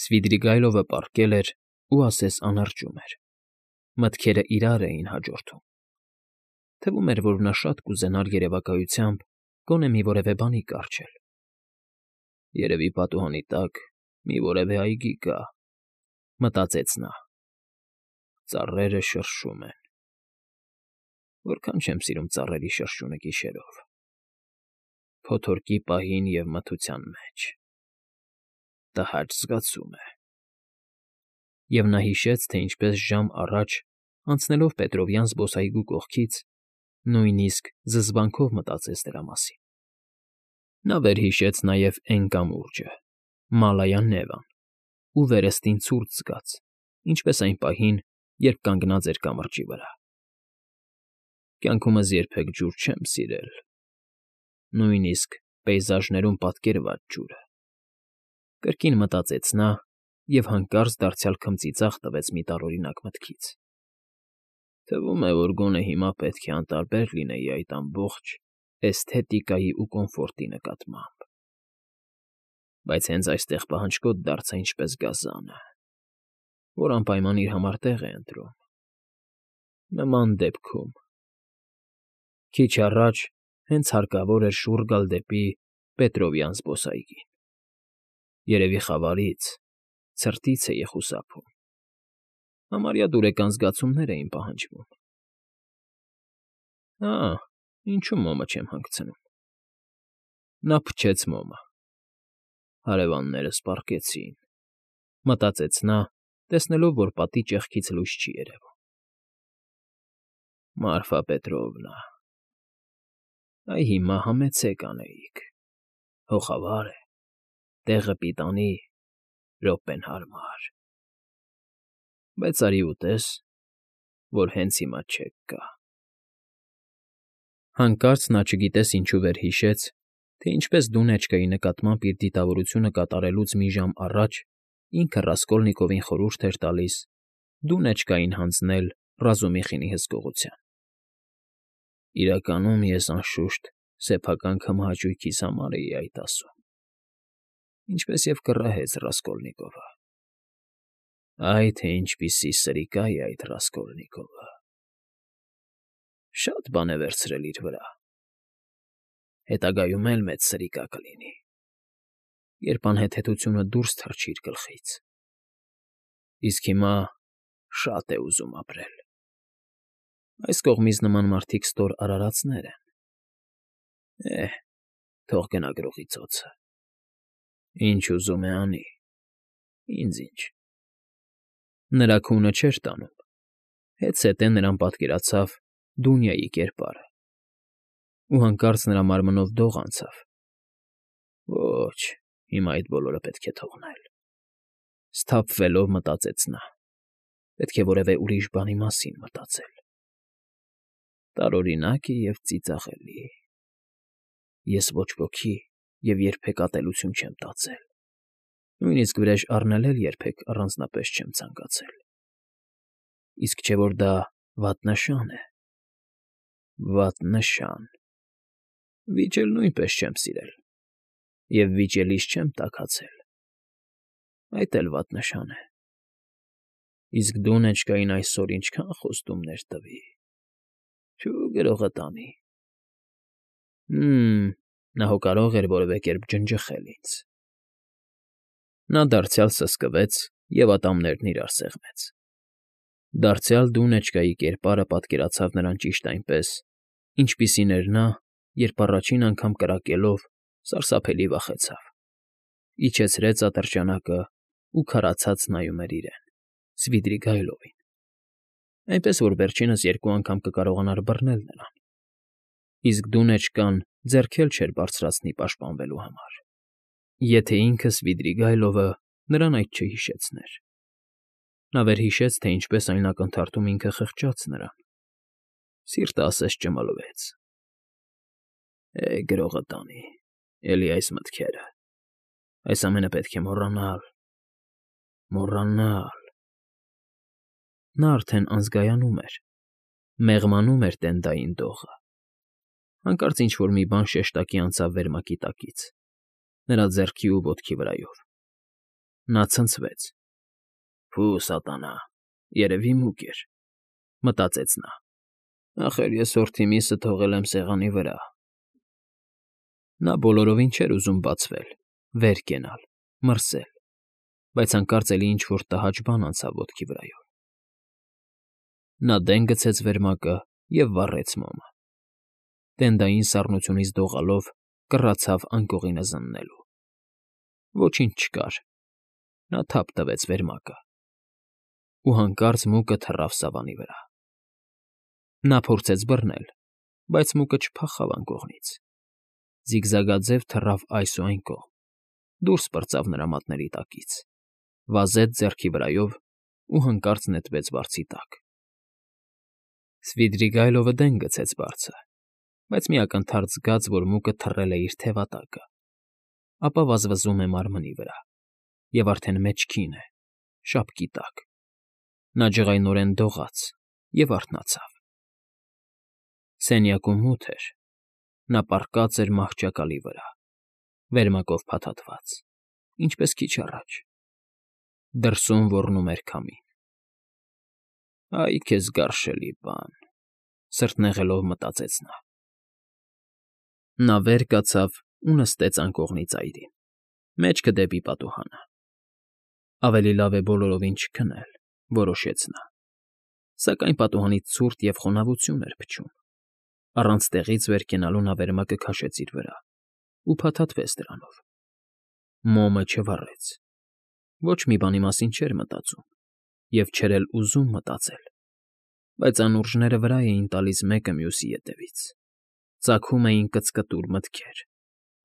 Սվիդրիգայլովը պառկել էր ու ասես անարճում էր. մտքերը իրար էին հաջորդում. թվում էր, որ նա շատ կուզենար երևակայությամբ գոնե մի որևէ բանի կառչել։ «Երևի պատուհանի տակ մի որևէ այգի կա», մտածեց նա։ «Ծառերը շրշում են։ Որքան չեմ սիրում ծառերի շրշյունը գիշերով, փոթորկի պահին և մթության մեջ։ Տհաճ զգացում է»։ Եվ նա հիշեց, թե ինչպես ժամ առաջ, անցնելով Պետրովյան զբոսայգու կողքից, նույնիսկ զզվանքով մտածեց դրա մասին։ Նա վերհիշեց նաև էն կամուրջը, Մալայա Նևան, ու վերստին ցուրտ զգաց, ինչպես այն պահին, երբ կանգնած էր կամրջի վրա։ «Կյանքումս երբեք ջուր չեմ սիրել, նույնիսկ պեյզաժներում պատկերված ջուրը», կրկին մտածեց նա և հանկարծ դարձյալ քմծիծաղ տվեց մի տարօրինակ մտքից։ «Թվում է, որ գոնե հիմա պետք է անտարբեր լինեի այդ ամբողջ էսթետիկայի ու կոմֆորտի նկատմամբ, բայց հենց այստեղ պահանջկոտ դարձա ինչպես գազանը, որ անպայման իր համար տեղ է ընտրում։ Նման դեպքում… Քիչ առաջ հենց հարկավոր էր շուռ գալ դեպի Պետրովյան զբոսայգին։ Երևի խավարից, ցրտից էի խուսափում։ Համարյա դուրեկան զգացումներ էին պահանջվում։ Հա, ինչու մոմը չեմ հանգցնում»։ Նա փչեց մոմը։ «Հարևաններս պառկեցին», մտածեց նա, տեսնելով, որ պատի ճեղքից լույս չի երևում։ «Մարգարիտ Պետրովնա, այ հիմա համեցեք անեիք, հո խավար է, տեղը պիտանի, րոպեն հարմար… Բայց արի ուտես, որ հենց հիմա չեք գա»։ Հանկարծ նա չգիտես ինչու վերհիշեց, թե ինչպես Դունեչկայի նկատմամբ իր դիտավորությունը կատարելուց մի ժամ առաջ ինքը Ռասկոլնիկովին խորհուրդ էր տալիս Դունեչկային հանձնել Ռազումիխինի հսկողության։ «Իրականում ես, անշուշտ, սեփական քմահաճույքիս համար էի այդ ասում, ինչպես և կռահեց Ռասկոլնիկովը։ Այ թե ինչպիսի սրիկա է այդ Ռասկոլնիկովը… Շատ բան է վերցրել իր վրա, հետագայում էլ մեծ սրիկա կլինի, երբ անհեթեթությունը դուրս թռչի իր գլխից… Իսկ հիմա շատ է ուզում ապրել… Այս կողմից նման մարդիկ ստոր արարածներ են… Թող գնա գրողի ծոցը… Ինչ ուզում է անի, ինձ ինչ»։ Նրա քունը չէր տանում, հետզհետե նրան պատկերացավ Դունյայի կերպարը, ու հանկարծ նրա մարմնով դող անցավ։ «Ոչ, հիմա այդ բոլորը պետք է թողնել…»։ Սթափվելով մտածեց նա. պետք է որևէ ուրիշ բանի մասին մտածել։ Տարօրինակ է և ծիծաղելի… Ես ոչ ոքի և երբեք ատելություն չեմ տածել, նույնիսկ վրեժ առնել էլ երբեք առանձնապես չեմ ցանկացել… Իսկ չէ՞ որ դա վատ նշան է… Վատ նշան… Վիճել նույնպես չեմ սիրել և վիճելիս չեմ տաքացել… Այդ էլ վատ նշան է… Իսկ Դունեչկային այսօր ինչքան խոստումներ տվի… Թյու, գրողը տանի… Նա հո կարող էր որևէ կերպ ջնջխել ինձ… Նա դարձյալ սսկվեց և ատամներն իրար սեղմեց… Դարձյալ Դունեչկայի կերպարը պատկերացավ նրան ճիշտ այնպես, ինչպիսին էր նա, երբ առաջին անգամ կրակելով սարսափելի վախեցավ, իջեցրեց ատրճանակն ու քարացած նայում էր իրեն՝ Սվիդրիգայլովին, այնպես որ վերջինս երկու անգամ կկարողանար բռնել նրան, իսկ Դունեչկան ձեռք էլ չէր բարձրացնի պաշտպանվելու համար, եթե ինքը՝ Սվիդրիգայլովը, նրան այդ չհիշեցներ։ Նա վերհիշեց, թե ինչպես այն ակնթարթում ինքը խղճաց նրան… Սիրտը ասես ճմլվեց… Գրողը տանի… Էլի այս մտքերը… Այս ամենը պետք է մոռանալ… մոռանալ… Նա արդեն անզգայանում էր, մեղմանում էր տենդային դողը… Հանկարծ ինչ֊որ մի բան շեշտակի անցավ վերմակի տակից, նրա ձեռքի ու ոտքի վրայով։ Նա ցնցվեց։ «Փու սատանա, երևի մուկ էր», մտածեց նա։ «Ախր ես հորթի միսը թողել եմ սեղանի վրա»։ Նա բոլորովին չէր ուզում բացվել, վեր կենալ, մրսել, բայց հանկարծ էլի ինչ֊որ տհաճ բան անցավ ոտքի վրայով։ Նա դեն գցեց վերմակը և վառեց մոմը։ Տենդային սառնությունից դողալով կռացավ անկողինը զննելու։ Ոչինչ չկար։ Նա թափ տվեց վերմակը։ Ու հանկարծ մուկը թռավ սավանի վրա։ Նա փորձեց բռնել, բայց մուկը չփախավ անկողնից։ Զիգզագաձև թռավ այս ու այն կողմ, դուրս պրծավ նրա մատների տակից, վազեց ձեռքի վրայով ու հանկարծ նետվեց բարձի տակ։ Սվիդրիգայլովը դեն գցեց բարձը, բայց մի ակնթարթ զգաց, որ մուկը թռել է իր թևատակը, ապա վազվզում է մարմնի վրա, և արդեն մեջքին է, շապկի տակ։ Նա ջղայնորեն դողաց և արթնացավ։ Սենյակում մութ էր։ Նա պառկած էր մահճակալի վրա, վերմակով փաթաթված, ինչպես քիչ առաջ։ Դրսում ոռնում էր քամին։ «Այ քեզ գարշելի բան», սրտնեղելով մտածեց նա։ Նա վեր կացավ ու նստեց անկողնի ծայրին, մեջքը դեպի պատուհանը։ Ավելի լավ է բոլորովին չքնել, որոշեց նա, սակայն պատուհանից ցուրտ և խոնավություն էր փչում։ Առանց տեղից վեր կենալու նա վերմակը քաշեց իր վրա ու փաթաթվեց դրանով։ Մոմը չվառեց։ Ոչ մի բանի մասին չէր մտածում և չէր էլ ուզում մտածել, բայց անուրջները վրա էին տալիս մեկը մյուսի ետևից, ծագում էին կծկտուր մտքեր,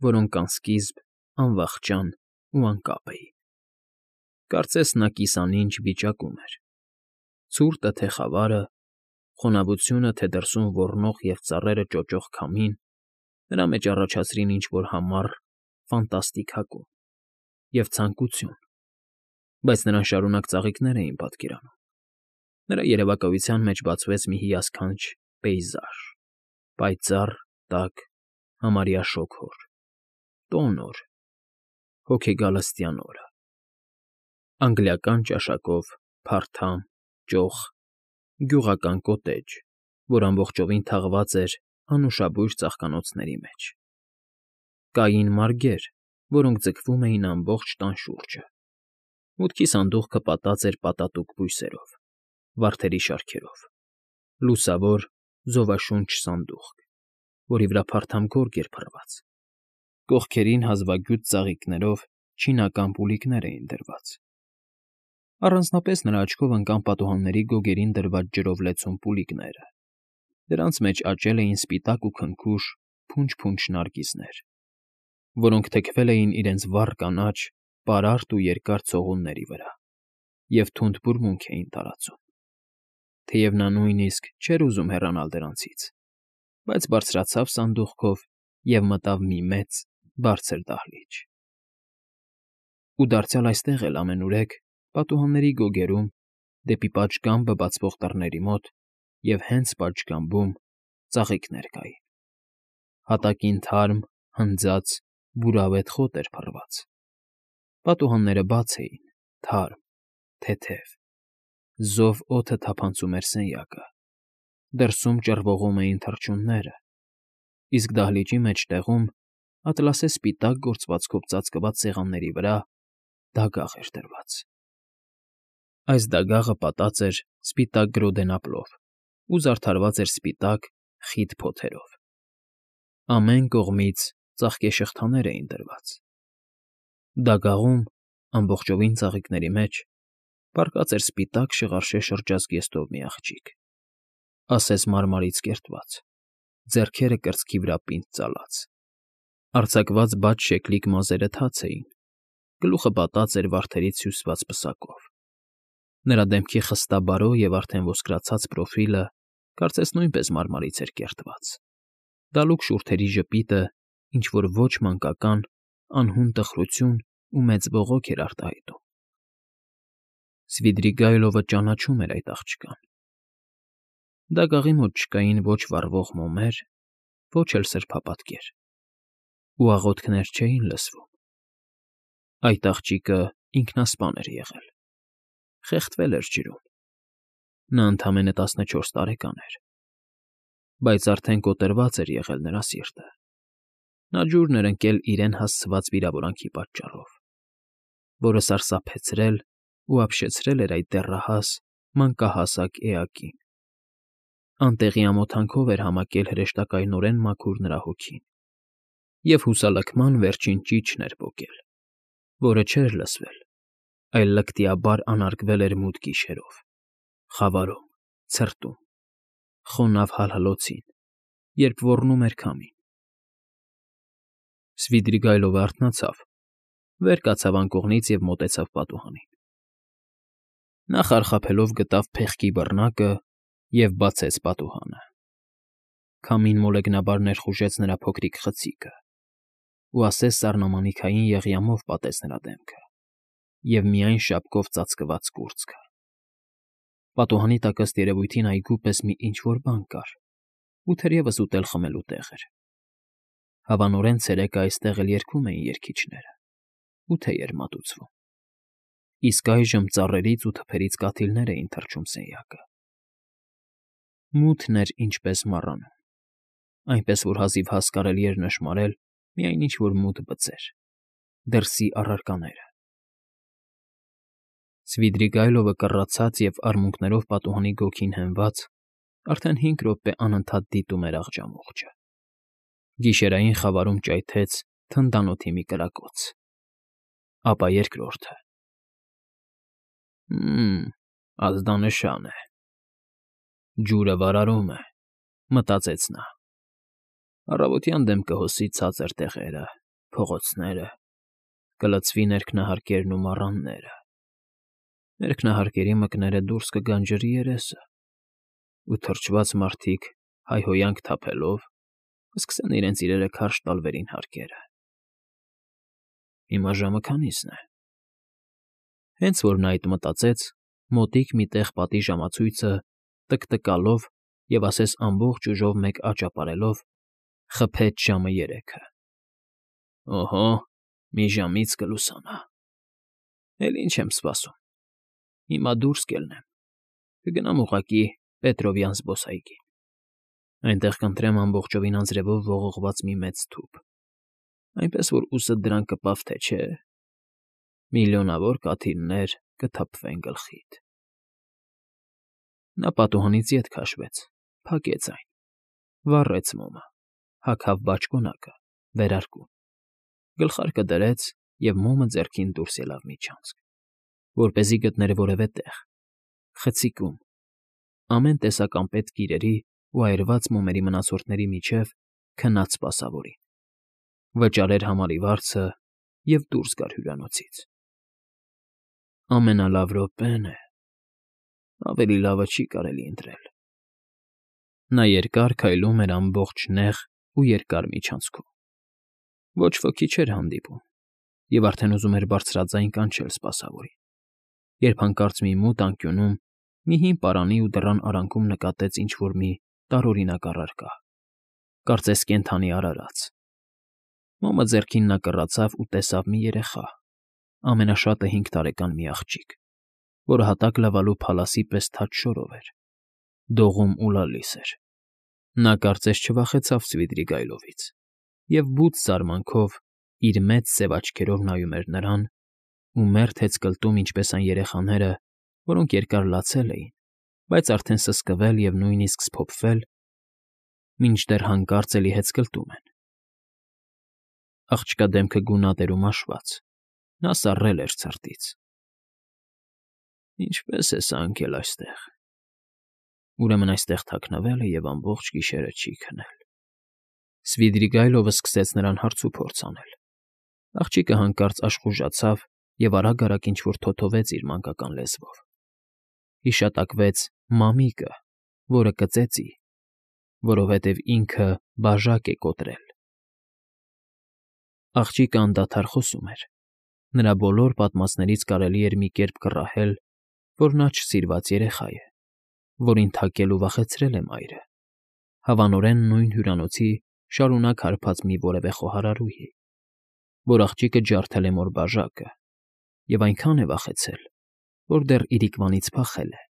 որոնք անսկիզբ, անվախճան ու անկապ էին։ Կարծես նա կիսանինջ վիճակում էր։ Ցուրտը թե խավարը, խոնավությունը թե դրսում ոռնող և ծառերը ճոճող քամին նրա մեջ առաջացրին ինչ֊որ համառ, ֆանտաստիկ հակում և ցանկություն, բայց նրան շարունակ ծաղիկներ էին պատկերանում։ Նրա երևակայության մեջ բացվեց մի հիասքանչ պեյզաժ՝ պայծառ, տաք, համարյա շոգ օր, տոն օր, հոգեգալստյան օրը։ Անգլիական ճաշակով, փարթամ, ճոխ, գյուղական կոտեջ, որ ամբողջովին թաղված էր անուշաբույր ծաղկանոցների մեջ։ Կային մարգեր, որոնք ձգվում էին ամբողջ տան շուրջը։ Մուտքի սանդուղքը պատած էր պատատուկ բույսերով, վարդերի շարքերով, լուսավոր, ձովաշունչ սանդուղք, որի վրա փարթամ գորգ էր փռված։ Կողքերին հազվագյուտ ծաղիկներով չինական պուլիկներ էին դրված։ Առանձնապես նրա աչքով ընկան պատուհանների գոգերին դրված ջրով լեցուն պուլիկները։ Դրանց մեջ աճել էին սպիտակ ու քնքուշ փունջ֊փունջ նարգիզներ, որոնք թեքվել էին իրենց վառ կանաչ, պարարտ ու երկար ցողունների վրա և թունդ բուրմունք էին տարածում։ Թեև նա նույնիսկ չէր ուզում հեռանալ դրանցից, բայց բարձրացավ սանդուղքով և մտավ մի մեծ, բարձր դահլիճ։ Ու դարձյալ այստեղ էլ ամենուրեք, պատուհանների գոգերում, դեպի պատշգամբը բացվող դռների մոտ և հենց պատշգամբում ծաղիկներ կային։ Հատակին թարմ, հնձած, բուրավետ խոտ էր փռված։ Պատուհանները բաց էին, թարմ, թեթև։ Զով օդը թափանցում էր սենյակը։ Դրսում ճռվողում էին թռչունները, իսկ դահլիճի մեջտեղում, ատլասե սպիտակ գործվածքով ծածկված սեղանների վրա դագաղ էր դրված։ Այս դագաղը պատած էր սպիտակ գրոդենապլով ու զարդարված էր սպիտակ, խիտ փոթերով։ Ամեն կողմից ծաղկեշղթաներ էին դրված։ Դագաղում, ամբողջովին ծաղիկների մեջ, պառկած էր սպիտակ շղարշե շրջազգեստով մի աղջիկ, ասես մարմարից կերտված, ձեռքերը կրծքի վրա պինդ ծալած։ Արձակված բաց շեկլիկ մազերը թաց էին, գլուխը պատած էր վարդերից հյուսված պսակով։ Նրա դեմքի խստաբարո և արդեն ոսկրացած պրոֆիլը կարծես նույնպես մարմարից էր կերտված։ Դալուկ շուրթերի ժպիտը ինչ֊որ ոչ մանկական, անհուն տխրություն ու մեծ բողոք էր արտահայտում։ Սվիդրիգայլովը ճանաչում էր այդ աղջկան։ Դագաղի մոտ չկային ոչ վառվող մոմեր, ոչ էլ սրբապատկեր, ու աղոթքներ չէին լսվում։ Այդ աղջիկը ինքնասպան էր եղել, խեղդվել էր ջրում։ Նա ընդամենը 14 տարեկան էր, բայց արդեն կոտրված էր եղել նրա սիրտը։ Նա ջուրն էր ընկել իրեն հասցված վիրավորանքի պատճառով, որը սարսափեցրել ու ապշեցրել էր այդ դեռահաս, մանկահասակ էակին։ Անտեղի ամոթանքով էր համակել հրեշտակայնորեն մաքուր նրա հոգին, և հուսալքման վերջին ճիչն էր պոկել, որը չէր լսվել, այլ լկտիաբար անարգվել էր մութ գիշերով, խավարում, ցրտում, խոնավ հալհլոցին, երբ ոռնում էր քամին։ Սվիդրիգայլովը արթնացավ, վեր կացավ անկողնից և մոտեցավ պատուհանին։ Նա խարխափելով գտավ փեղկի բռնակը և բացեց պատուհանը։ Քամին մոլեգնաբար ներխուժեց նրա փոքրիկ խցիկը ու ասես սառնամանիքային եղյամով պատեց նրա դեմքը և միայն շապկով ծածկված կուրծքը։ Պատուհանի տակ ըստ երևույթին այգու պես մի ինչ֊որ բան կար, ու թերևս ուտել֊խմելու տեղ էր։ Հավանորեն ցերեկը այստեղ էլ երգում էին երգիչները ու թեյ էր մատուցվում, իսկ այժմ ծառերից ու թփերից կաթիլներ էին թռչում սենյակը։ Մութն էր ինչպես մառանում, այնպես որ հազիվհազ կարելի էր նշմարել միայն ինչ֊որ մութ բծեր, դրսի առարկաները։ Սվիդրիգայլովը կռացած և արմունկներով պատուհանի գոգին հենված, արդեն 5 րոպե անընդհատ դիտում էր աղջամուղջը։ Գիշերային խավարում ճայթեց թնդանոթի մի կրակոց, ապա երկրորդը։ Ազդանշան է։ Ջուրը վարարում է, մտածեց նա։ Առավոտյան դեմ կհոսի ցածր տեղերը, փողոցները, կլցվի ներքնահարկերն ու մառանները։ Ներքնահարկերի մկները դուրս կգան ջրի երեսը, ու թրջված մարդիկ, հայհոյանք թափելով, կսկսեն իրենց իրերը քարշ տալ վերին հարկերը։ Հիմա ժամը քանի՞սն է։ Հենց որ նա այդ մտածեց, մոտիկ մի տեղ պատի ժամացույցը, տկտկալով և ասես ամբողջ ուժով մեկ աճ ապարելով, խփեց ժամը 3-ը։ Օհո, մի ժամից կլուսանա։ Էլ ինչ եմ սպասում։ Հիմա դուրս կելնեմ, կգնամ ուղղակի Պետրովյան զբոսայգի։ Այնտեղ կընտրեմ ամբողջովին անձրևով ողողված մի մեծ թուփ, այնպես որ ուսդ դրան կպավ թե չէ, միլիոնավոր կաթիլներ կթափվեն գլխիդ։ Նա պատուհանից ետ քաշվեց, փակեց այն, վառեց մոմը, հագավ բաճկոնակը, վերարկուն, գլխարկը դրեց և մոմը ձեռքին դուրս ելավ միջանցք, որպեսզի գտներ որևէ տեղ, խցիկում, ամեն տեսակ անպետք իրերի ու այրված մոմերի մնացորդների միջև քնած սպասավորին, վճարեր համարի վարձը և դուրս գար հյուրանոցից։ Ամենալավ րոպեն է, ավելի լավը չի կարելի ընտրել։ Նա երկար քայլում էր ամբողջ նեղ ու երկար միջանցքում։ Ոչ ոքի չէր հանդիպում, և արդեն ուզում էր բարձրաձայն կանչել սպասավորին, երբ հանկարծ մի մութ անկյունում, մի հին պարանի ու դռան արանքում նկատեց ինչ֊որ մի տարօրինակ առարկա, կարծես կենդանի արարած։ Մոմը ձեռքին նա կռացավ ու տեսավ մի երեխա, ամենաշատը 5 տարեկան մի աղջիկ, որը հատակ լվալու փալասի պես թաց շորով էր, դողում ու լալիս էր։ Նա կարծես չվախեցավ Սվիդրիգայլովից և բուծ զարմանքով իր մեծ սև աչքերով նայում էր նրան ու մերթ հեծկլտում ինչպես այն երեխաները, որոնք երկար լացել էին, բայց արդեն սսկվել և նույնիսկ սփոփվել, մինչդեռ հանկարծ էլի հեծկլտում են։ Աղջկա դեմքը գունատ էր ու մաշված, նա սառել էր ցրտից։ Ինչպե՞ս է սա ընկել այստեղ։ Ուրեմն այստեղ թաքնվել է և ամբողջ գիշերը չի քնել։ Սվիդրիգայլովը սկսեց նրան հարցուփորձ անել։ Աղջիկը հանկարծ աշխուժացավ և արագ֊արագ ինչ֊որ թոթվեց իր մանկական լեզվով։ Հիշատակվեց «մամիկը», որը կծեծի, որովհետև ինքը բաժակ է կոտրել։ Աղջիկը անդադար խոսում էր։ Նրա բոլոր պատմածներից կարելի էր մի կերպ կռահել, որ նա չսիրված երեխա է, որին թակել ու վախեցրել է մայրը, հավանորեն նույն հյուրանոցի շարունակ հարբած մի որևէ խոհարարուհի, որ աղջիկը ջարդել է մոր բաժակը, և այնքան է վախեցել, որ դեռ իրիկվանից փախել է,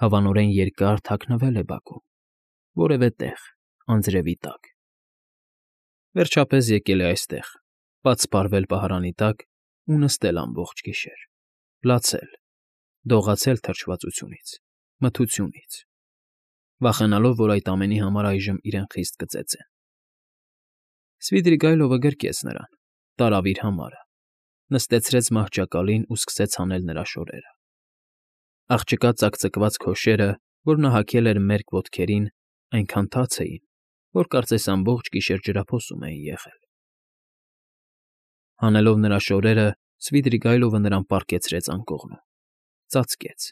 հավանորեն երկար թաքնվել է բակում, որևէ տեղ, անձրևի տակ։ Վերջապես եկել է այստեղ, պատսպարվել պահարանի տակ ու նստել ամբողջ գիշեր, լացել, դողացել թրջվածությունից, մթությունից, վախենալով, որ այդ ամենի համար այժմ իրեն խիստ կծեծեն։ Սվիդրիգայլովը գրկեց նրան, տարավ իր համարը, նստեցրեց մահճակալին ու սկսեց հանել նրա շորերը։ Աղջկա ծակծկված քոշերը, որ նա հագել էր մերկ ոտքերին, այնքան թաց էին, որ կարծես ամբողջ գիշեր ջրափոսում էին եղել։ Հանելով նրա շորերը, Սվիդրիգայլովը նրան պառկեցրեց անկողնում, ծածկեց,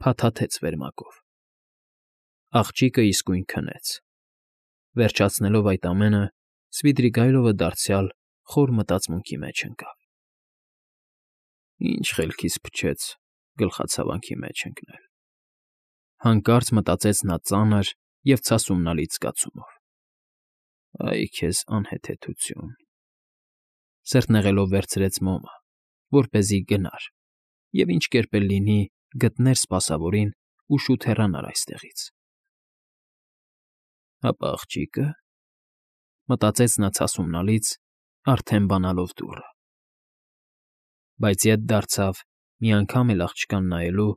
փաթաթեց վերմակով։ Աղջիկը իսկույն քնեց։ Վերջացնելով այդ ամենը, Սվիդրիգայլովը դարձյալ խոր մտածմունքի մեջ ընկավ։ Ինչ խելքից փչեց գլխացավանքի մեջ ընկնել, հանկարծ մտածեց նա ծանր և ցասումնալից զգացումով։ Այ քեզ անհեթեթություն… Սրտնեղելով վերցրեց մոմը, որպեսզի գնար և ինչ կերպ էլ լինի գտներ սպասավորին ու շուտ հեռանար այստեղից։ Հապա աղջիկը… մտածեց նա ցասումնալից, արդեն բանալով դուռը։ Բայց ետ դարձավ, մի անգամ էլ աղջկան նայելու,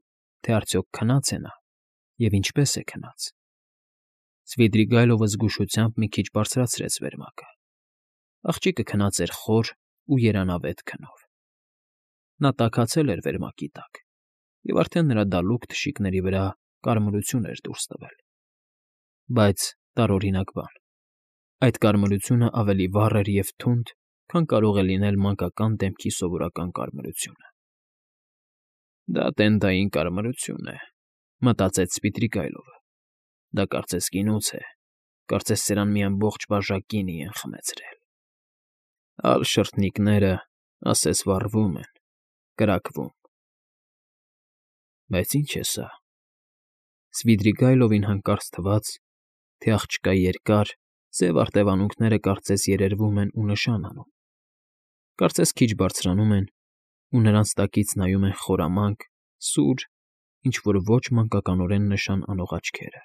թե արդյոք քնա՞ծ է նա և ինչպե՞ս է քնած։ Սվիդրիգայլովը զգուշությամբ մի քիչ բարձրացրեց վերմակը։ Աղջիկը քնած էր խոր ու երանավետ քնով։ Նա տաքացել էր վերմակի տակ, և արդեն նրա դալուկ թշիկների վրա կարմրություն էր դուրս տվել։ Բայց տարօրինակ բան… այդ կարմրությունը ավելի վառ էր և թունդ, քան կարող է լինել մանկական դեմքի սովորական կարմրությունը։ «Դա տենտային կարմրություն է,֊ մտածեց Սվիդրիգայլովը։֊ Դա կարծես գինուց է, կարծես սրան մի ամբողջ բաժակ գինի են խմեցրել։ Ալ շրթնիկները, ասես վառվում են, կրակվում… Բայց ի՞նչ է սա… Սվիդրիգայլովին հանկարծ թվաց, թե աղջկա երկար, սև արտևանունքները կարծես երերվում են ու նշան անում, կարծես քիչ բարձրանում են, ու նրանց տակից նայում են խորամանկ, սուր, ինչ֊որ ոչ մանկականորեն նշան անող աչքերը…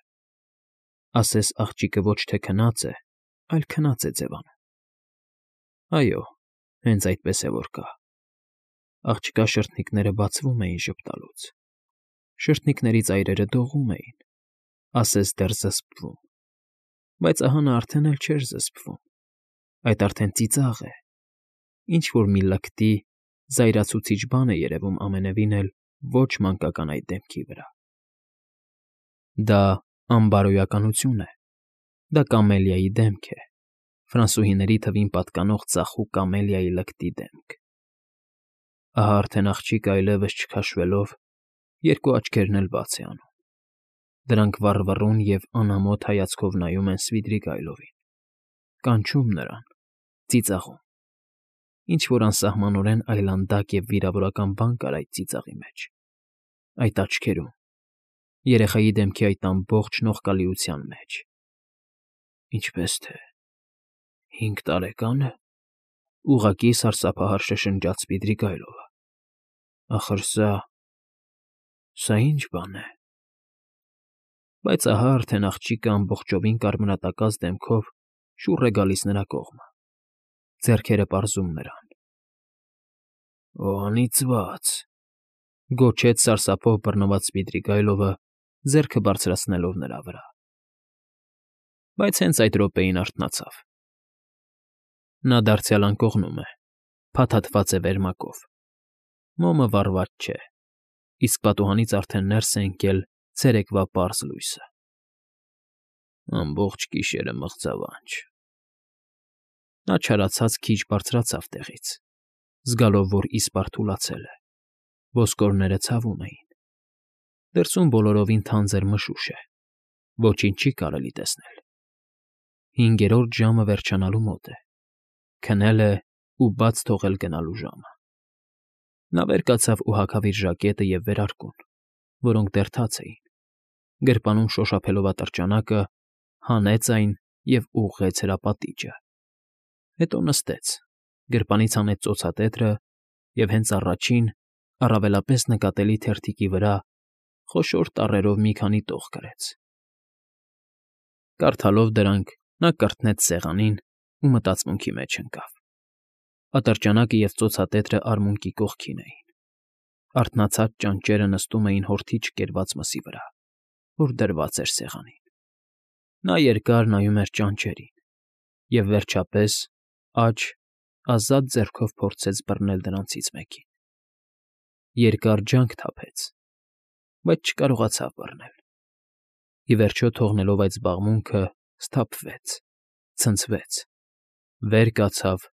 Ասես աղջիկը ոչ թե քնած է, այլ քնած է ձևանում։ Այո, հենց այդպես է որ կա… Աղջկա շրթնիկները բացվում էին ժպտալուց, շրթնիկների ծայրերը դողում էին, ասես դեռ զսպվում… Բայց ահա նա արդեն էլ չէր զսպվում, այդ արդեն ծիծաղ է, ինչ֊որ մի լկտի, զայրացուցիչ բան է երևում ամենևին էլ ոչ մանկական այդ դեմքի վրա… Դա անբարոյականություն է, դա կամելիայի դեմք է, ֆրանսուհիների թվին պատկանող ծախու կամելիայի լկտի դեմք… Ահա արդեն աղջիկը այլևս չքաշվելով, երկու աչքերն էլ բաց է անում, դրանք վառվռուն և անամոթ հայացքով նայում են Սվիդրիգայլովին, կանչում նրան, ծիծաղում… Ինչ֊որ անսահմանորեն այլանդակ և վիրավորական բան կար այդ ծիծաղի մեջ, այդ աչքերում, երեխայի դեմքի այդ ամբողջ նողկալիության մեջ… Ինչպե՞ս թե… 5 տարեկա՞ն է,֊ ուղղակի սարսափահար շշնջաց Սվիդրիգայլովը։ Ախր սա ի՞նչ բան է… Բայց ահա արդեն աղջիկը ամբողջովին կարմրատակած դեմքով շուռ է գալիս նրա կողմը, ձեռքերը պարզում նրան։ «Օ, անիծված…֊ գոչեց սարսափով բռնված Սվիդրիգայլովը, ձեռքը բարձրացնելով նրա վրա։ Բայց հենց այդ րոպեին արթնացավ։ Նա դարձյալ անկողնում է, փաթաթված է վերմակով, մոմը վառված չէ, իսկ պատուհանից արդեն ներս է ընկել ցերեկվա պարզ լույսը… Ամբողջ գիշերը մղձավանջ…» Նա չարացած քիչ բարձրացավ տեղից, զգալով, որ իսպառ թուլացել է, ոսկորները ցավում էին, դրսում բոլորովին թանձր մշուշ է, ոչինչ չի կարելի տեսնել… 5-րդ ժամը վերջանալու մոտ է, քնել է ու բաց թողել գնալու ժամը… Նա վեր կացավ ու հագավ իր ժակետը և վերարկուն, որոնք դեռ թաց էին, գրպանում շոշափելով ատրճանակը, հանեց այն և ուղղեց հրապատիճը, հետո նստեց, գրպանից հանեց ծոցատետրը և հենց առաջին, առավելապես նկատելի թերթիկի վրա խոշոր տառերով մի քանի տող գրեց։ Կարդալով դրանք՝ նա կրտնեց սեղանին ու մտածմունքի մեջ ընկավ։ Ատրճանակը և ծոցատետրը արմունկի կողքին էին։ Արթնացած ճանճերը նստում էին հորթի չկերված մսի վրա, որ դրված էր սեղանին։ Նա երկար նայում էր ճանճերին և, վերջապես, աջ, ազատ ձեռքով փորձեց բռնել դրանցից մեկին։ Երկար ջանք թափեց, բայց չկարողացավ բռնել։ Ի վերջո, թողնելով այդ զբաղմունքը, սթափվեց, ցնցվեց, վեր կացավ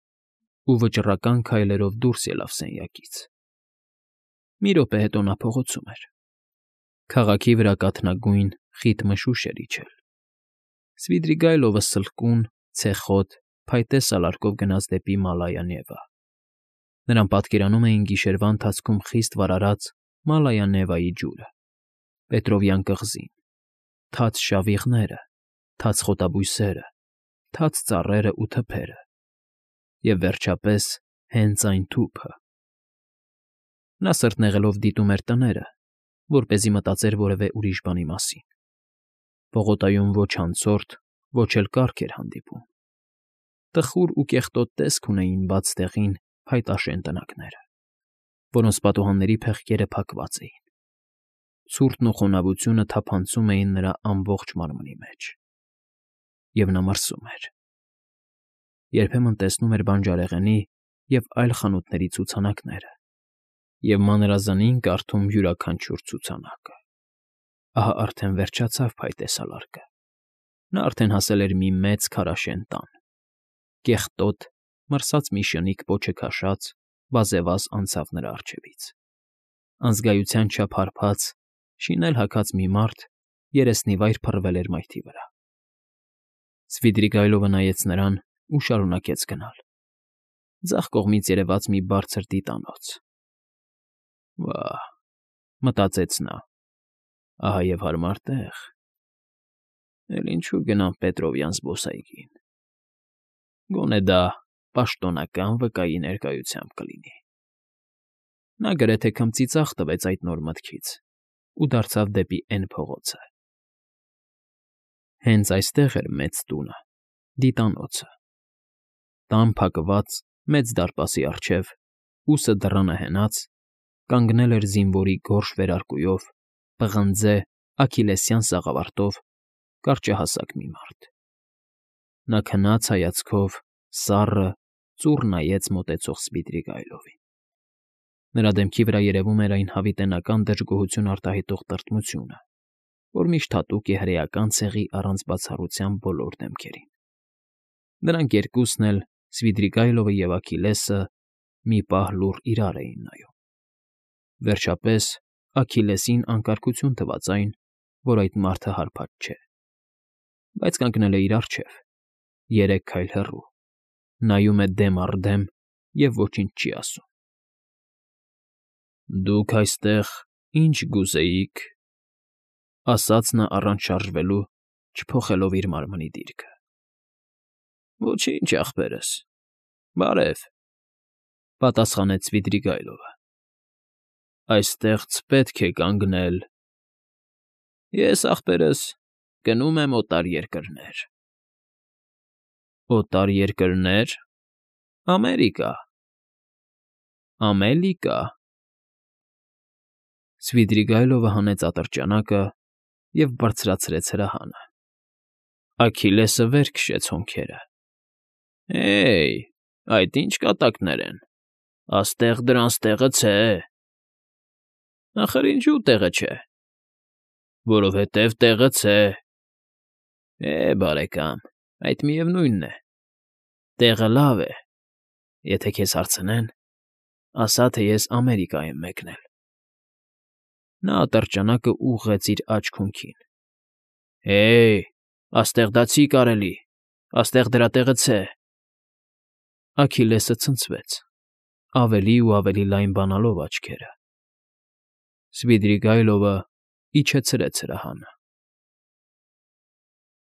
ու վճռական քայլերով դուրս ելավ սենյակից։ Մի րոպե հետո նա փողոցում էր։ Քաղաքի վրա կաթնագույն, խիտ մշուշ էր իջել։ Սվիդրիգայլովը սլկուն, ցեխոտ, փայտե սալարկով գնաց դեպի Մալայա Նևա։ Նրան պատկերանում էին գիշերվա ընթացքում խիստ վարարած Մալայա Նևայի ջուրը, Պետրովյան կղզին, թաց շավիղները, թաց խոտաբույսերը, թաց ծառերն ու թփերը և, վերջապես, հենց այն թուփը։ Նա սրտնեղելով դիտում էր տները, որպեսզի մտածեր որևէ ուրիշ բանի մասին։ Պողոտայում ոչ անցորդ, ոչ էլ կառք էր հանդիպում։ Տխուր ու կեղտոտ տեսք ունեին բաց տեղին փայտաշեն տնակները, որոնց պատուհանների փեղկերը փակված էին։ Ցուրտն ու խոնավությունը թափանցում էին նրա ամբողջ մարմնի մեջ։ Եվ նա մրսում էր։ Երբեմն տեսնում էր բանջարեղենի և այլ խանութների ցուցանակները և մանրազնին կարդում յուրաքանչյուր ցուցանակը։ Ահա արդեն վերջացավ փայտե սալարկը։ Նա արդեն հասել էր մի մեծ քարաշեն տան։ Կեղտոտ, մրսած մի շնիկ պոչը քաշած, վազեվազ անցավ նրա առջևից։ Անզգայության չափ հարբած, շինել հագած մի մարդ երեսնիվայր փռվել էր մայթի վրա։ Սվիդրիգայլովը նայեց նրան ու շարունակեց գնալ։ Ձախ կողմից երևաց մի բարձր դիտանոց։ «Վա՜հ,֊ մտածեց նա,֊ ահա և հարմար տեղ։ Էլ ինչու գնամ Պետրովյան զբոսայգին։ Գոնե դա պաշտոնական վկայի ներկայությամբ կլինի»։ Նա գրեթե քմծիծաղ տվեց այդ նոր մտքից ու դարձավ դեպի Էն փողոցը։ Հենց այստեղ էր մեծ տունը, դիտանոցը։ Տան փակված մեծ դարպասի առջև, ուսը դռանը հենած, կանգնել էր զինվորի գորշ վերարկուով, պղնձե, աքիլեսյան սաղավարտով կարճահասակ մի մարդ։ Նա քնած հայացքով, սառը, ծուռ նայեց մոտեցող Սվիդրիգայլովին։ Նրա դեմքի վրա երևում էր այն հավիտենական դժգոհություն արտահայտող տրտմությունը, որ միշտ հատուկ է հրեական ցեղի առանց բացառության բոլոր դեմքերին։ Նրանք երկուսն էլ, Սվիդրիգայլովը և Աքիլեսը, մի պահ լուռ իրար էին նայում։ Վերջապես Աքիլեսին անկարգություն թվաց այն, որ այդ մարդը հարբած չէ, բայց կանգնել է իր առջև, 3 քայլ հեռու, նայում է դեմ առ դեմ և ոչինչ չի ասում։ «Դուք այստեղ ի՞նչ կուզեիք,֊ ասաց նա առանց շարժվելու, չփոխելով իր մարմնի դիրքը։ «Ոչինչ, ախպերս, բարև,֊ պատասխանեց Սվիդրիգայլովը։ Այստեղց պետք է կանգնել։ Ես, ախպերս, գնում եմ օտար երկրներ։ Օտար երկրնե՞ր։ Ամերիկա։ Ամելիկա։ Սվիդրիգայլովը հանեց ատրճանակը և բարձրացրեց հրահանը։ Աքիլեսը վեր քշեց հոնքերը։ Հե՜յ, այդ ի՞նչ կատակներ են, աստեղ դրանց տեղը չէ։ Ախր ինչու տեղը չէ։ Որովհետև տեղը չէ։ Բարեկամ, այդ միևնույնն է։ Տեղը լավ է։ Եթե քեզ հարցնեն, ասա, թե ես Ամերիկա եմ մեկնել։ Նա ատրճանակը ուղղեց իր աջ քունքին։ Աստեղ դա չի կարելի, աստեղ դրա տեղը չէ։ Աքիլեսը ցնցվեց, ավելի ու ավելի լայն բանալով աչքերը։ Սվիդրիգայլովը իջեցրեց հրահանը։